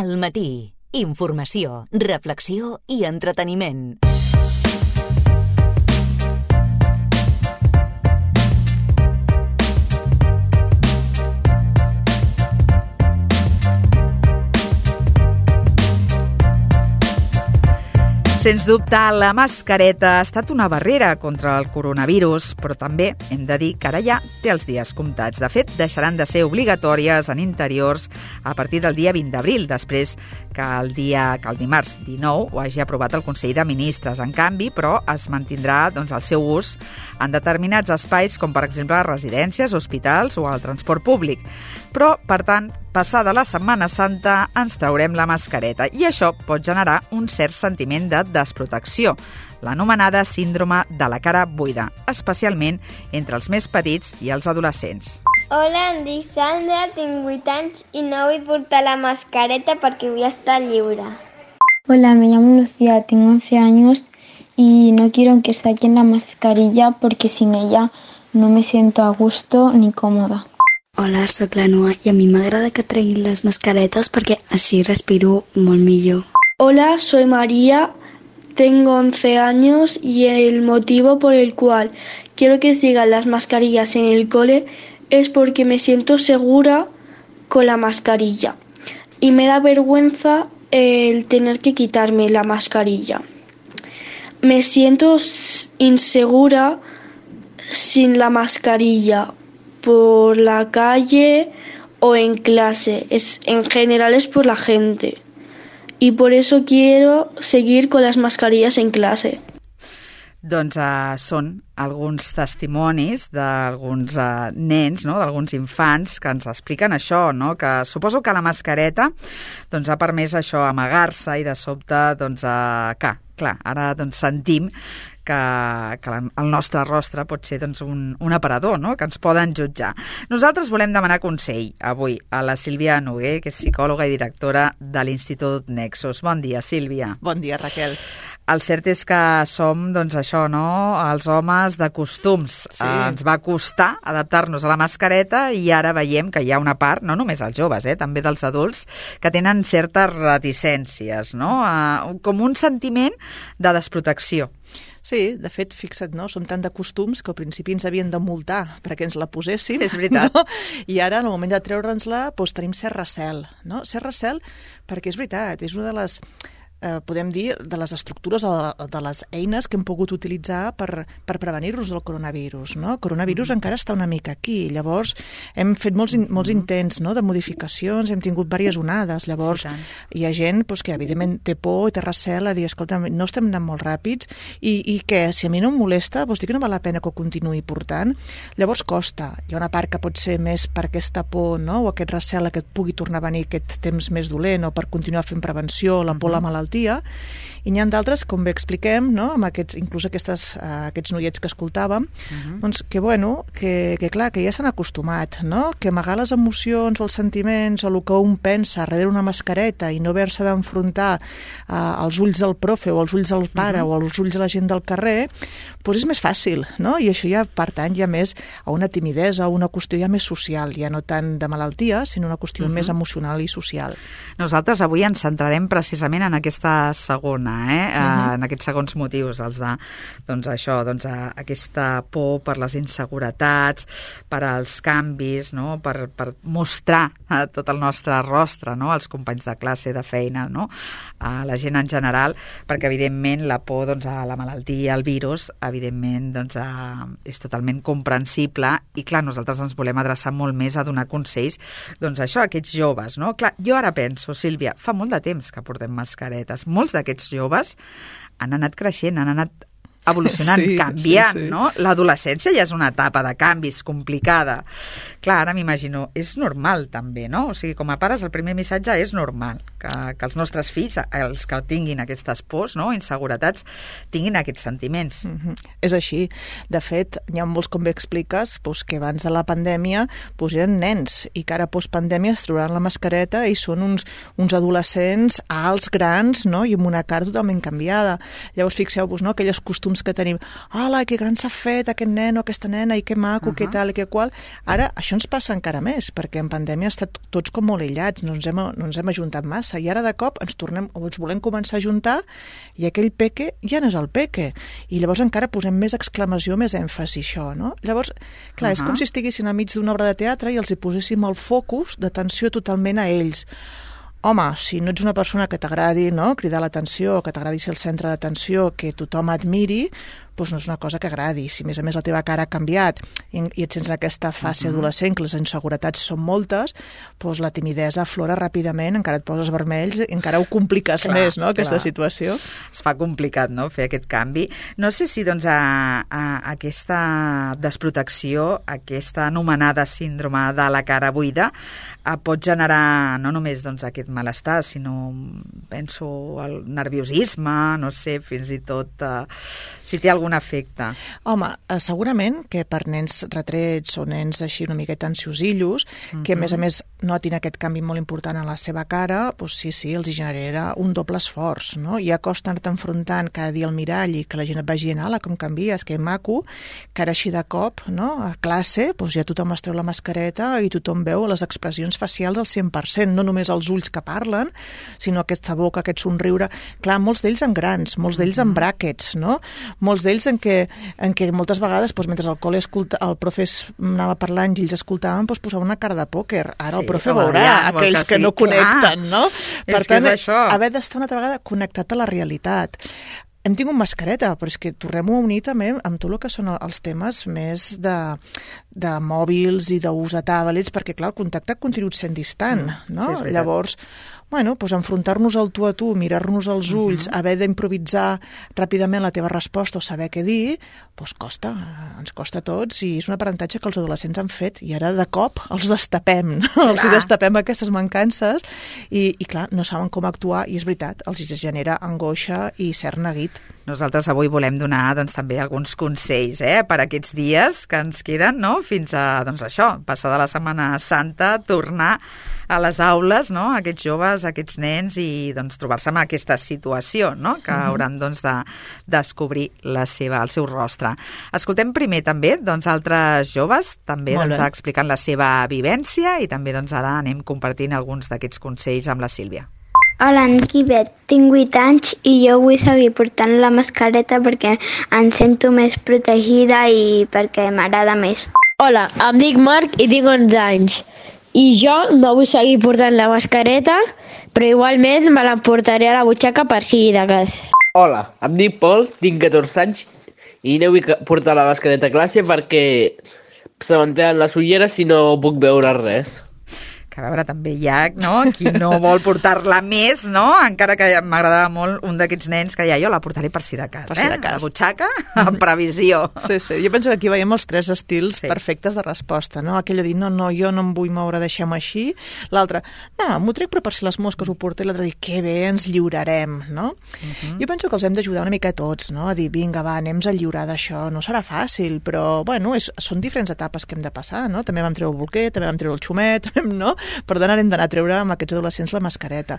Al matí, informació, reflexió i entreteniment. Sens dubte, la mascareta ha estat una barrera contra el coronavirus, però també hem de dir que ara ja té els dies comptats. De fet, deixaran de ser obligatòries en interiors a partir del dia 20 d'abril, després que el dimarts 19 ho hagi aprovat el Consell de Ministres. En canvi, però, es mantindrà el seu ús en determinats espais, com per exemple residències, hospitals o el transport públic. Però, per tant, passada la Setmana Santa ens traurem la mascareta i això pot generar un cert sentiment de desprotecció, l'anomenada síndrome de la cara buida, especialment entre els més petits i els adolescents. Hola, em dic Sandra, tinc 8 anys i no vull portar la mascareta perquè vull estar lliure. Hola, me llamo Lucía, tengo 11 años y no quiero que saquen la mascarilla porque sin ella no me siento a gusto ni cómoda. Hola, soc la Noa i a mi m'agrada que treguin les mascaretes perquè així respiro molt millor. Hola, soy María, tengo 11 años y el motivo por el cual quiero que sigan las mascarillas en el cole es porque me siento segura con la mascarilla y me da vergüenza el tener que quitarme la mascarilla. Me siento insegura sin la mascarilla por la calle o en clase. En general es por la gente. Y por eso quiero seguir con las mascarillas en clase. Doncs són alguns testimonis d'alguns nens, no? D'alguns infants que ens expliquen això, no? Que suposo que la mascareta ha permès això, amagar-se i de sobte, ara sentim que el nostre rostre pot ser un aparador, no? Que ens poden jutjar. Nosaltres volem demanar consell avui a la Sílvia Noguer, que és psicòloga i directora de l'Institut Nexus. Bon dia, Sílvia. Bon dia, Raquel. El cert és que som, els homes de costums. Sí. Ens va costar adaptar-nos a la mascareta i ara veiem que hi ha una part, no només els joves, també dels adults, que tenen certes reticències, no? Com un sentiment de desprotecció. Sí, de fet, fixa't, no? Som tan de costums que al principi ens havien de multar perquè ens la poséssim. És veritat. No? I ara, en el moment de treure'ns-la, tenim cert recel, no? Cert recel perquè és veritat, és una de les... podem dir, de les estructures, de les eines que hem pogut utilitzar per prevenir-nos del coronavirus. No? El coronavirus encara està una mica aquí. Llavors, hem fet molts intents, no? De modificacions, hem tingut diverses onades. Llavors, hi ha gent que evidentment té por i té recel a dir, escolta, no estem anant molt ràpids i què? Si a mi no em molesta, vols dir que no val la pena que ho continuï portant? Llavors costa. Hi ha una part que pot ser més per aquesta por, no? O aquest recel que et pugui tornar a venir aquest temps més dolent o per continuar fent prevenció, la por a la malaltia. I n'hi ha d'altres, com bé expliquem, no? Amb inclús aquests noiets que escoltàvem, doncs que clar, que ja s'han acostumat, no? Que amagar les emocions o els sentiments o el que un pensa darrere una mascareta i no haver-se d'enfrontar als ulls del profe o als ulls del pare o als ulls de la gent del carrer, doncs és més fàcil, no? I això ja pertany ja més a una timidesa, a una qüestió ja més social, ja no tant de malaltia, sinó una qüestió més emocional i social. Nosaltres avui ens centrarem precisament en aquesta segona, en aquests segons motius, els de aquesta por per les inseguretats, per als canvis, no? Per mostrar tot el nostre rostre, no? Als companys de classe, de feina, no? A la gent en general, perquè evidentment la por a la malaltia, al virus, evidentment és totalment comprensible i clar, nosaltres ens volem adreçar molt més a donar consells a aquests joves, no? Clar, jo ara penso, Sílvia, fa molt de temps que portem mascaretes. Molts d'aquests joves han anat creixent, han anat evolucionant, canviant, no? L'adolescència ja és una etapa de canvis complicada. Clar, ara m'imagino, és normal també, no? O sigui, com a pares, el primer missatge és normal, que els nostres fills, els que tinguin aquestes pors, no? Inseguretats, tinguin aquests sentiments. És així. De fet, hi ha molts, com bé expliques, que abans de la pandèmia eren nens i que ara postpandèmia es trobaran la mascareta i són uns adolescents alts, grans, no? I amb una cara totalment canviada. Llavors, fixeu-vos, no? Aquelles costums que tenim. Hola, que gran s'ha fet aquest nen o aquesta nena i que maco, que tal i que qual. Ara, això ens passa encara més, perquè en pandèmia hem estat tots com molt aïllats, no ens hem ajuntat massa. passa? I ara de cop ens volem començar a juntar i aquell peque ja no és el peque. I llavors encara posem més exclamació, més èmfasi, això, no? Llavors, clar, és com si estiguessin al mig d'una obra de teatre i els hi poséssim el focus d'atenció totalment a ells. Home, si no ets una persona que t'agradi, no?, cridar l'atenció, que t'agradi ser el centre d'atenció, que tothom admiri, doncs no és una cosa que agradi. Si a més la teva cara ha canviat i et sents en aquesta fase adolescent, que les inseguretats són moltes, doncs la timidesa aflora ràpidament, encara et poses vermells, encara ho compliques més, no?, aquesta situació. Es fa complicat, no?, fer aquest canvi. No sé si, doncs, aquesta desprotecció, aquesta anomenada síndrome de la cara buida, pot generar no només doncs, aquest malestar, sinó, penso, el nerviosisme, no sé, fins i tot si té algun efecte. Home, segurament que per nens retrets o nens així una miqueta ansiosillos, que a més notin aquest canvi molt important a la seva cara, doncs sí, els genera un doble esforç, no? Ja costa anar-te enfrontant cada dia al mirall i que la gent et vagi dient, ala, com canvies, que maco, que ara així de cop, no?, a classe, doncs ja tothom es treu la mascareta i tothom veu les expressions facials al 100%, no només els ulls que parlen, sinó aquesta boca, aquest somriure. Clar, molts d'ells en grans, molts d'ells en bràquets, no? Molts d'ells en què moltes vegades, doncs, mentre al col·le el profe anava parlant i ells escoltaven, doncs posava una cara de pòquer. Ara el profe veurà aquells que no connecten, no? Per tant, haver d'estar una altra vegada connectat a la realitat. Hem tingut mascareta, però és que tornem-ho a unir també amb tot el que són els temes més de mòbils i d'ús de tablets, perquè, clar, el contacte ha continuat sent distant, no? Sí, llavors, doncs enfrontar-nos al tu a tu, mirar-nos als ulls, haver d'improvisar ràpidament la teva resposta o saber què dir, doncs costa, ens costa a tots, i és un aprenentatge que els adolescents han fet, i ara de cop els destapem, els destapem aquestes mancances, i clar, no saben com actuar, i és veritat, els genera angoixa i cert neguit. Nosaltres avui volem donar doncs, també alguns consells per aquests dies que ens queden, no?, fins a, doncs això, passada la Setmana Santa, tornar a les aules, no?, aquests joves, aquests nens, i doncs trobar-se en aquesta situació, no?, que hauran doncs, de descobrir el seu rostre. Escoltem primer també doncs, altres joves, també doncs, explicant la seva vivència, i també doncs, ara anem compartint alguns d'aquests consells amb la Sílvia. Hola, en Quimet, tinc 8 anys i jo vull seguir portant la mascareta perquè em sento més protegida i perquè m'agrada més. Hola, em dic Marc i tinc 11 anys i jo no vull seguir portant la mascareta, però igualment me l'emportaré a la butxaca per si de cas. Hola, em dic Pol, tinc 14 anys i no vull portar la mascareta a classe perquè se m'entenen les ulleres i no puc veure res. Que a veure, també hi ha, no?, qui no vol portar-la més, no?, encara que m'agradava molt un d'aquests nens que deia, jo la portaré per si de cas, la butxaca, en previsió. Sí, jo penso que aquí veiem els 3 estils perfectes de resposta, no?, aquell de dir, no, jo no em vull moure, deixem així, l'altre, no, m'ho trec però per si les mosques ho porta, i l'altre dir, que bé, ens lliurarem, no? Jo penso que els hem d'ajudar una mica a tots, no?, a dir, vinga, va, anem-nos a lliurar d'això, no serà fàcil, però, bueno, són diferents etapes que hem de passar, no?, també vam treure el bolquer, també vam treure el xumet, no?, per tant hem d'anar a treure amb aquests adolescents la mascareta.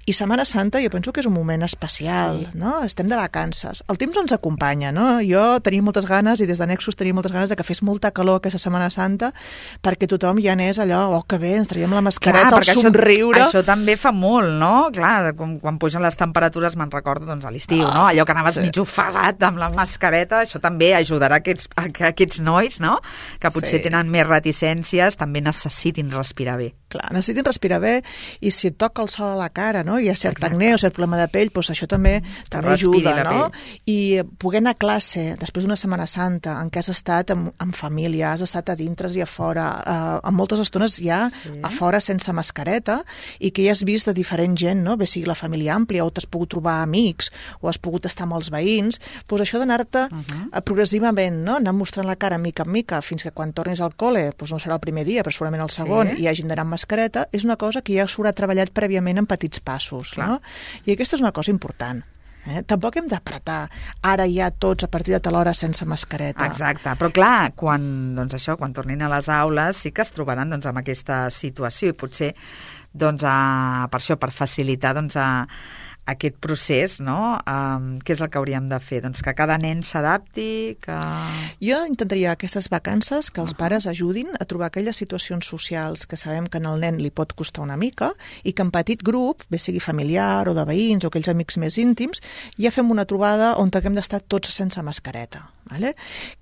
I Setmana Santa jo penso que és un moment especial, no? Estem de vacances. El temps ens acompanya, no? Jo tenia moltes ganes, i des de Nexus tenia moltes ganes de que fes molta calor aquesta Setmana Santa, perquè tothom ja anés allò, que bé, ens traiem la mascareta, el somriure. Això també fa molt, no? Clar, quan pugen les temperatures, me'n recordo, doncs, a l'estiu, no? Allò que anaves mig ofegat amb la mascareta, això també ajudarà que aquests nois, no?, que potser tenen més reticències, també necessitin respirar bé. Clar, necessitin respirar bé, i si et toca el sol a la cara, no?, hi ha cert acné o cert problema de pell, doncs això també ajuda, no? I poder anar a classe després d'una Setmana Santa en què has estat amb família, has estat a dintre i a fora, en moltes estones ja a fora sense mascareta, i que ja has vist de diferent gent, no?, bé sigui la família àmplia, o t'has pogut trobar amics, o has pogut estar amb els veïns, doncs això d'anar-te progressivament, no?, anar mostrant la cara mica en mica, fins que quan tornis al col·le, doncs no serà el primer dia, però segurament el segon, i hagin d'anar amb mascareta, és una cosa que ja s'haurà treballat prèviament en petits passos, no? I aquesta és una cosa important. Tampoc hem d'apretar ara ja tots a partir de tal hora sense mascareta. Exacte, però clar, quan tornin a les aules sí que es trobaran doncs, amb aquesta situació, i potser doncs, per això, per facilitar doncs, aquest procés, no? Què és el que hauríem de fer? Doncs que cada nen s'adapti, que... Jo intentaria aquestes vacances que els pares ajudin a trobar aquelles situacions socials que sabem que al nen li pot costar una mica i que en petit grup, bé sigui familiar o de veïns o aquells amics més íntims, ja fem una trobada on haguem d'estar tots sense mascareta. Vale?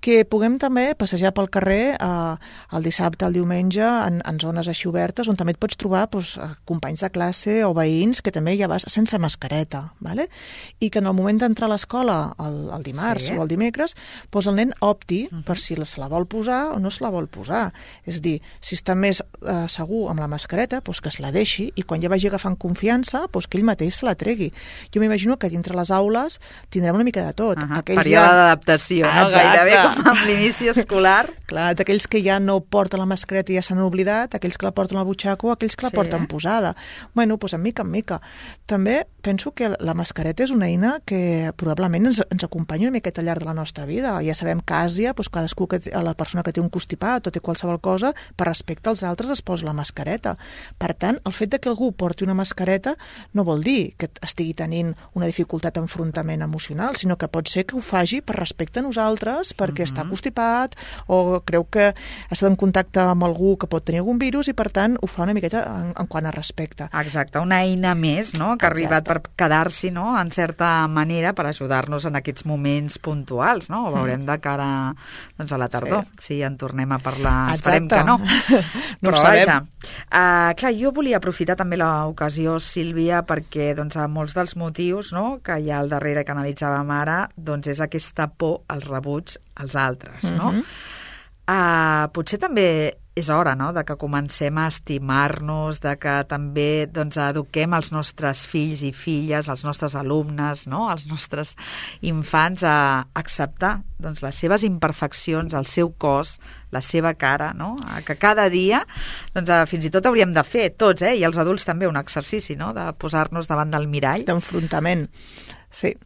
Que puguem també passejar pel carrer el dissabte, el diumenge, en zones així obertes, on també et pots trobar companys de classe o veïns que també ja vas sense mascareta. Vale? I que en el moment d'entrar a l'escola, el dimarts o el dimecres, el nen opti per si se la vol posar o no se la vol posar. És a dir, si està més segur amb la mascareta, que se la deixi i quan ja vagi agafant confiança, que ell mateix se la tregui. Jo m'imagino que dintre les aules tindrem una mica de tot. Període d'adaptació, no? Gairebé com amb l'inici escolar. Clar, d'aquells que ja no porten la mascareta i ja s'han oblidat, aquells que la porten al butxaco, aquells que la porten posada. Bueno, en mica en mica. També penso que la mascareta és una eina que probablement ens acompanya una miqueta al llarg de la nostra vida. Ja sabem que a Àsia, cadascú, la persona que té un constipat o té qualsevol cosa, per respecte als altres es posa la mascareta. Per tant, el fet de que algú porti una mascareta no vol dir que estigui tenint una dificultat d'enfrontament emocional, sinó que pot ser que ho faci per respecte a nosaltres, perquè està constipat o creu que ha estat en contacte amb algú que pot tenir algun virus i, per tant, ho fa una miqueta en quant a respecte. Exacte, una eina més, no?, que ha arribat per quedar-s'hi, no?, en certa manera per ajudar-nos en aquests moments puntuals, no? Ho veurem de cara a la tardor, si en tornem a parlar. Esperem que no. No ho sabem. Clar, jo volia aprofitar també l'ocasió, Sílvia, perquè a molts dels motius que hi ha al darrere que analitzàvem ara, és aquesta por al rebuig als altres, no? Potser també és hora, no?, de que comencem a estimar-nos, de que també eduquem els nostres fills i filles, els nostres alumnes, no?, els nostres infants a acceptar les seves imperfeccions, el seu cos, la seva cara, no?, que cada dia fins i tot hauríem de fer tots, i els adults també, un exercici, no?, de posar-nos davant del mirall. D'enfrontament. Sí.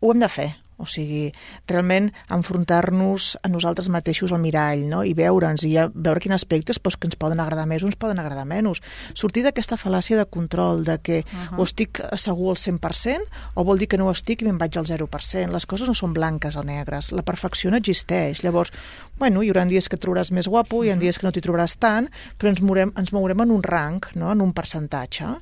Ho hem de fer. O sigui, realment enfrontar-nos a nosaltres mateixos al mirall, no?, i veure'ns, i veure quins aspectes que ens poden agradar més o ens poden agradar menys. Sortir d'aquesta fal·làcia de control, de que o estic segur al 100% o vol dir que no ho estic i me'n vaig al 0%. Les coses no són blanques o negres. La perfecció no existeix. Llavors, hi haurà dies que et trobaràs més guapo, hi ha dies que no t'hi trobaràs tant, però ens mourem en un rang, no?, en un percentatge.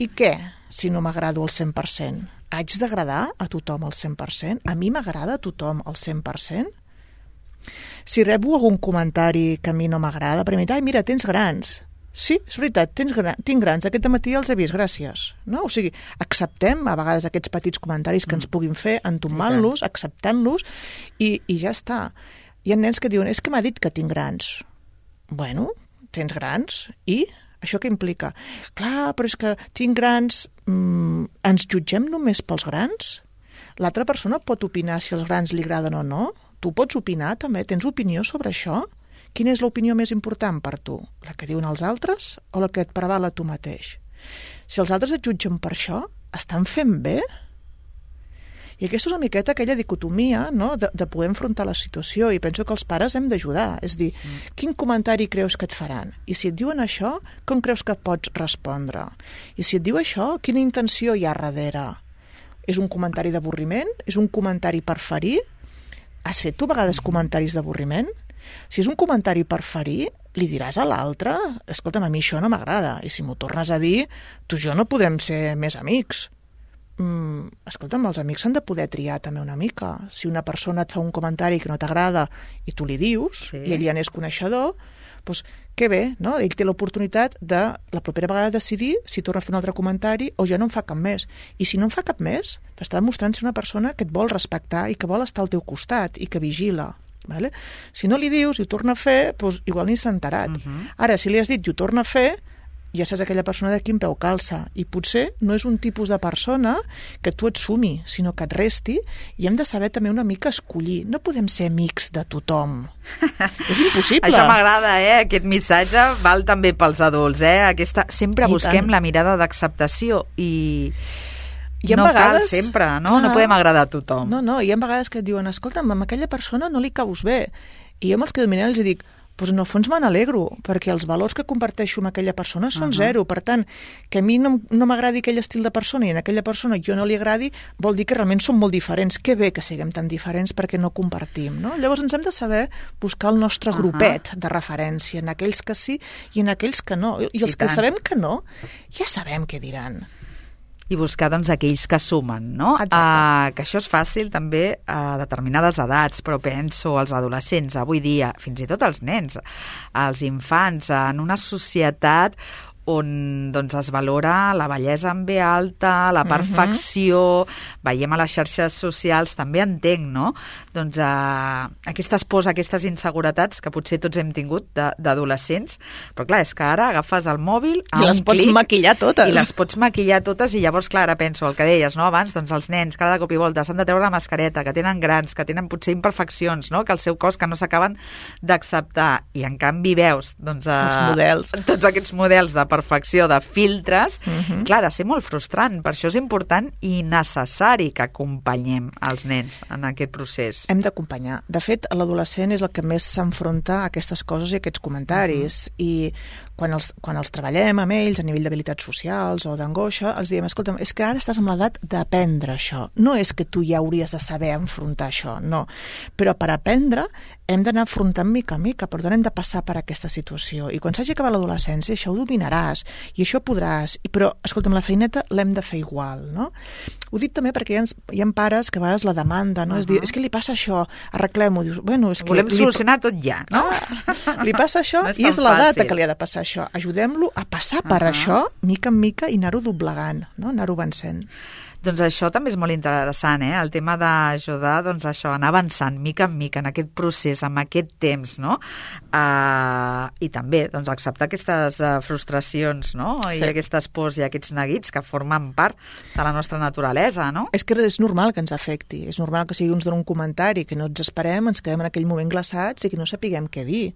I què, si no m'agrado al 100%? Haig d'agradar a tothom al 100%? A mi m'agrada a tothom al 100%? Si rebo algun comentari que a mi no m'agrada, per mi, mira, tens grans. Sí, és veritat, tinc grans, aquest matí els he vist, gràcies. No? O sigui, acceptem a vegades aquests petits comentaris que ens puguin fer, entomant-los, acceptant-los, i ja està. Hi ha nens que diuen, és que m'ha dit que tinc grans. Bueno, tens grans, i... Això què implica? Clar, però és que tinc grans... ens jutgem només pels grans? L'altra persona pot opinar si els grans li agraden o no? Tu pots opinar també? Tens opinió sobre això? Quina és l'opinió més important per tu? La que diuen els altres o la que et prevala tu mateix? Si els altres et jutgen per això, estan fent bé? I aquesta és una miqueta aquella dicotomia, no?, de poder enfrontar la situació, i penso que els pares hem d'ajudar. És dir, quin comentari creus que et faran? I si et diuen això, com creus que pots respondre? I si et diu això, quina intenció hi ha darrere? És un comentari d'avorriment? És un comentari per ferir? Has fet tu a vegades comentaris d'avorriment? Si és un comentari per ferir, li diràs a l'altre, escolta'm, a mi això no m'agrada, i si m'ho tornes a dir, tu i jo no podrem ser més amics. Escolta'm, els amics s'han de poder triar també una mica. Si una persona et fa un comentari que no t'agrada i tu li dius, i ell ja n'és coneixedor, doncs que bé, no? Ell té l'oportunitat de la propera vegada decidir si torna a fer un altre comentari o ja no en fa cap més. I si no en fa cap més, t'està demostrant ser una persona que et vol respectar i que vol estar al teu costat i que vigila. Vale? Si no li dius i ho torna a fer, doncs igual ni s'ha enterat. Ara, si li has dit i ho torna a fer, ja saps aquella persona de quin peu calça, i potser no és un tipus de persona que tu et sumi, sinó que et resti, i hem de saber també una mica escollir. No podem ser amics de tothom. És impossible. Això m'agrada, aquest missatge val també pels adults, sempre busquem la mirada d'acceptació i no cal sempre, no? No podem agradar a tothom. No, hi ha vegades que et diuen, escolta'm, amb aquella persona no li caus bé. I jo amb els que dominen els dic, doncs en el fons me n'alegro, perquè els valors que comparteixo amb aquella persona són zero. Per tant, que a mi no m'agradi aquell estil de persona i a aquella persona jo no li agradi, vol dir que realment som molt diferents. Que bé que siguem tan diferents perquè no compartim, no? Llavors ens hem de saber buscar el nostre grupet de referència, en aquells que sí i en aquells que no. I els que sabem que no, ja sabem què diran. I buscar, doncs, aquells que sumen, no? Que això és fàcil també a determinades edats, però penso als adolescents, avui dia, fins i tot als nens, als infants, en una societat on doncs, es valora la bellesa en B alta, la perfecció, veiem a les xarxes socials, també entenc, no? Doncs aquestes pors, aquestes inseguretats que potser tots hem tingut d'adolescents, però clar, és que ara agafes el mòbil a un clic... I les pots maquillar totes. I les pots maquillar totes i llavors, clar, ara penso el que deies, no? Abans, doncs els nens, cada cop i volta, s'han de treure la mascareta, que tenen grans, que tenen potser imperfeccions, no? Que el seu cos que no s'acaben d'acceptar. I en canvi veus, doncs... els models. Tots aquests models de perfecció, de filtres, clar, ha de ser molt frustrant. Per això és important i necessari que acompanyem els nens en aquest procés. Hem d'acompanyar. De fet, l'adolescent és el que més s'enfronta a aquestes coses i a aquests comentaris. I quan els treballem amb ells a nivell d'habilitats socials o d'angoixa, els diem, escolta'm, és que ara estàs amb l'edat d'aprendre això. No és que tu ja hauries de saber enfrontar això, no. Però per aprendre hem d'anar afrontant mica a mica, per tant hem de passar per aquesta situació. I quan s'hagi acabat l'adolescència, això ho dominaràs i això podràs. Però, escolta'm, la feineta l'hem de fer igual, no? Ho dic també perquè hi ha pares que a vegades la demanda, no? És dir, és que li passa això, arreglem-ho. Dius, bueno, és que... Volem solucionar tot ja, no? Li passa això i és la data que li ha de passar això. Ajudem-lo a passar per això, mica en mica, i anar-ho doblegant, no? Anar-ho vencent. Doncs això també és molt interessant, el tema d'ajudar, doncs això, anar avançant mica en mica en aquest procés, amb aquest temps, no? I també, doncs, acceptar aquestes frustracions, no? Sí. I aquestes pors i aquests neguits que formen part de la nostra naturalesa, no? És que és normal que ens afecti, és normal que sigui uns d'un comentari, que no ens esperem, ens quedem en aquell moment glaçats i que no sapiguem què dir.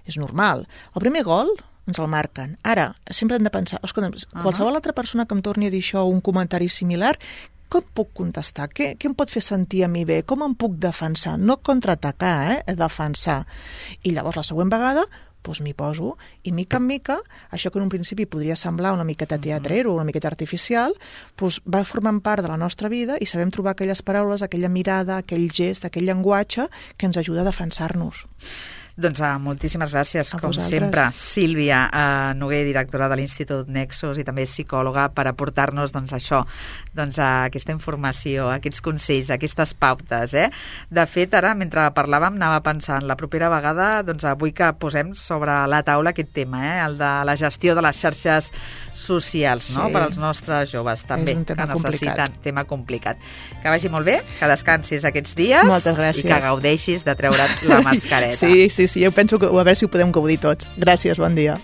És normal. El primer gol ens el marquen. Ara, sempre hem de pensar, escolta, qualsevol altra persona que em torni a dir això o un comentari similar, com puc contestar? Què em pot fer sentir a mi bé? Com em puc defensar? No contraatacar, defensar. I llavors la següent vegada doncs m'hi poso i mica en mica, això que en un principi podria semblar una miqueta teatrero, una miqueta artificial, doncs va formant part de la nostra vida i sabem trobar aquelles paraules, aquella mirada, aquell gest, aquell llenguatge que ens ajuda a defensar-nos. Doncs moltíssimes gràcies, com sempre, Sílvia Noguer, directora de l'Institut Nexus i també psicòloga, per aportar-nos doncs, això, doncs, aquesta informació, aquests consells, aquestes pautes. De fet, ara, mentre parlàvem, anava pensant, la propera vegada, doncs, vull que posem sobre la taula aquest tema, el de la gestió de les xarxes socials, no? Per als nostres joves, també, que necessiten tema complicat. Que vagi molt bé, que descansis aquests dies. Moltes gràcies. I que gaudeixis de treure't la mascareta. Sí, jo penso que a veure si ho podem gaudir tots. Gràcies, bon dia.